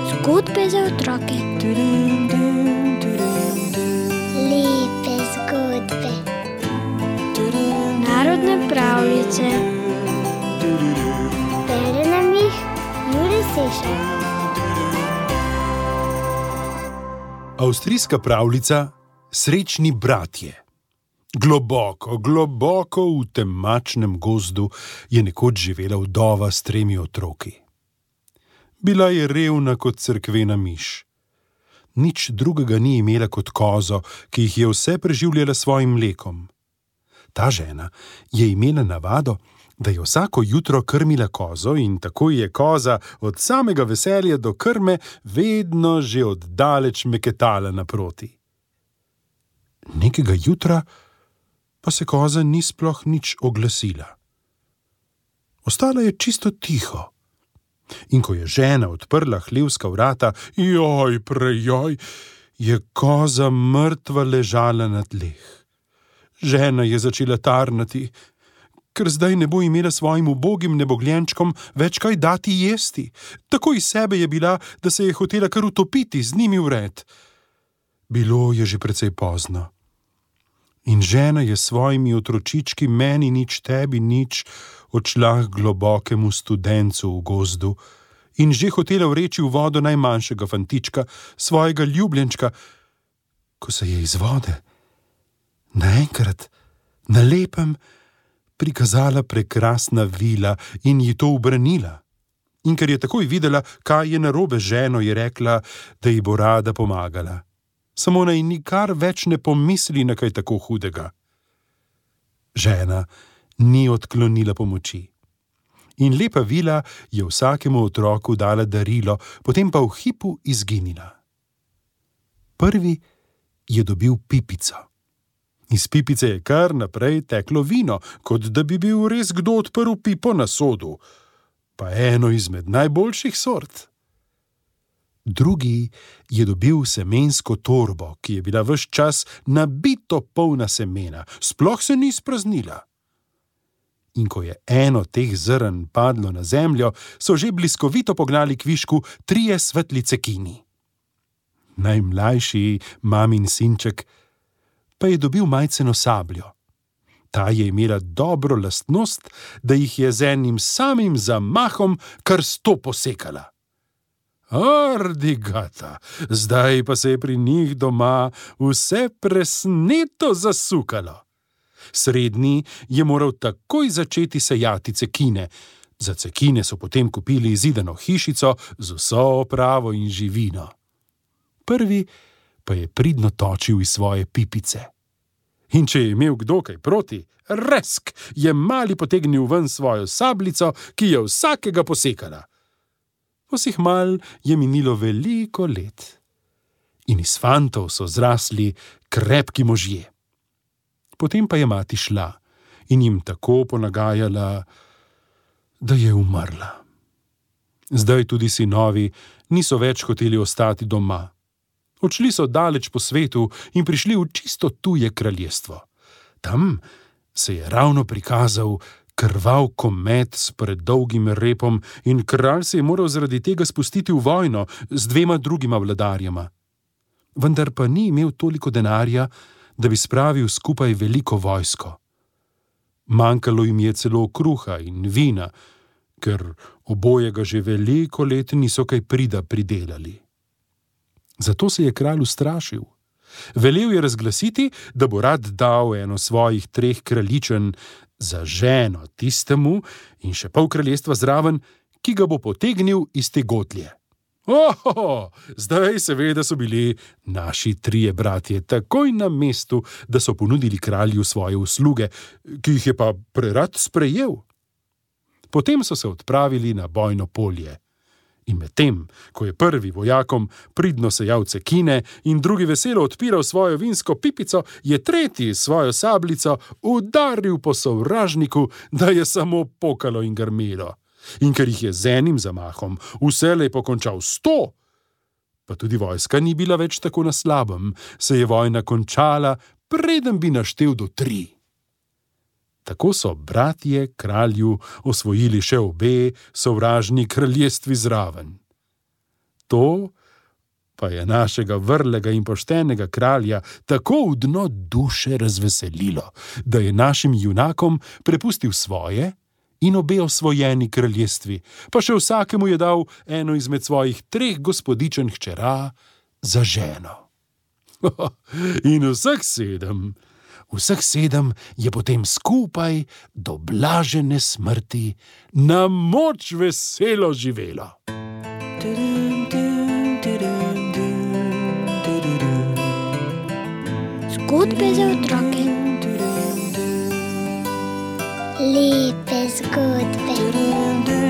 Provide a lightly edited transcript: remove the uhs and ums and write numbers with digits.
Zgodbe za otroke. Lepe zgodbe. Narodne pravljice. Bere nam jih Jure Sešar. Avstrijska pravljica Srečni bratje. Globoko, globoko v temačnem gozdu je nekoč živela vdova s 3 otroki. Bila je revna kot cerkvena miš. Nič drugega ni imela kot kozo, ki jih je vse preživljala s svojim mlekom. Ta žena je imela navado, da je vsako jutro krmila kozo in tako je koza od samega veselja do krme vedno že oddaleč meketala naproti. Nekega jutra pa se koza ni sploh nič oglasila. Ostala je čisto tiho. In ko je žena odprla hlevska vrata, joj, prejoj, je koza mrtva ležala na tleh. Žena je začela tarnati, ker zdaj ne bo imela svojim ubogim nebogljenčkom več kaj dati jesti. Tako iz sebe je bila, da se je hotela kar utopiti z njimi vred. Bilo je že precej pozno. In žena je s svojimi otročički meni nič, tebi nič odšla k globokemu studencu v gozdu in že hotela vreči v vodo najmanjšega fantička, svojega ljubljenčka, ko se je iz vode naenkrat na lepem prikazala prekrasna vila in ji to ubranila. In ker je takoj videla, kaj je narobe z ženo, je rekla, da ji bo rada pomagala. Samo naj nikar več ne pomisli na kaj tako hudega. Žena ni odklonila pomoči. In lepa vila je vsakemu otroku dala darilo, potem pa v hipu izginila. Prvi je dobil pipico. Iz pipice je kar naprej teklo vino, kot da bi bil res kdo odprl pipo na sodu, pa eno izmed najboljših sort. Drugi je dobil semensko torbo, ki je bila ves čas nabito polna semena, sploh se ni spraznila. In ko je eno teh zrn padlo na zemljo, so že bliskovito pognali kvišku 3 svetli cekini. Najmlajši mamin sinček pa je dobil majceno sabljo. Ta je imela dobro lastnost, da jih je z enim samim zamahom kar 100 posekala. Ardigata, zdaj pa se je pri njih doma vse presneto zasukalo. Srednji je moral takoj začeti sejati cekine. Za cekine so potem kupili zidano hišico z vso opravo in živino. Prvi pa je pridno točil iz svoje pipice. In če je imel kdo kaj proti, resk je mali potegnil ven svojo sabljico, ki je vsakega posekala. Vseh mal je minilo veliko let in iz fantov so zrasli krepki možje. Potem pa je mati šla in jim tako ponagajala, da je umrla. Zdaj tudi sinovi niso več hoteli ostati doma. Odšli so daleč po svetu in prišli v čisto tuje kraljestvo. Tam se je ravno prikazal krvav komet s predolgim repom in kralj se je moral zaradi tega spustiti v vojno z 2 drugima vladarjema. Vendar pa ni imel toliko denarja, da bi spravil skupaj veliko vojsko. Manjkalo jim je celo kruha in vina, ker obojega že veliko let niso kaj prida pridelali. Zato se je kralj ustrašil. Velel je razglasiti, da bo rad dal eno svojih 3 kraljičen za ženo tistemu in še pol kraljestva zraven, ki ga bo potegnil iz te gotlje. Zdaj seveda so bili naši 3 bratje takoj na mestu, da so ponudili kralju svoje usluge, ki jih je pa prerad sprejel. Potem so se odpravili na bojno polje. In medtem, ko je prvi vojakom pridno sejal cekine in drugi veselo odpiral svojo vinsko pipico, je tretji svojo sabljico udaril po sovražniku, da je samo pokalo in grmelo. In ker jih je z enim zamahom vselej pokončal 100, pa tudi vojska ni bila več tako na slabem, se je vojna končala, preden bi naštel do 3. Tako so bratje kralju osvojili še obe sovražni kraljestvi zraven. To pa je našega vrlega in poštenega kralja tako v dno duše razveselilo, da je našim junakom prepustil svoje in obe osvojeni kraljestvi, pa še vsakemu je dal eno izmed svojih 3 gospodičen hčera za ženo. In vseh 7 je potem skupaj do blažene smrti na moč veselo živelo. Zgodbe za otroke. Lepe zgodbe.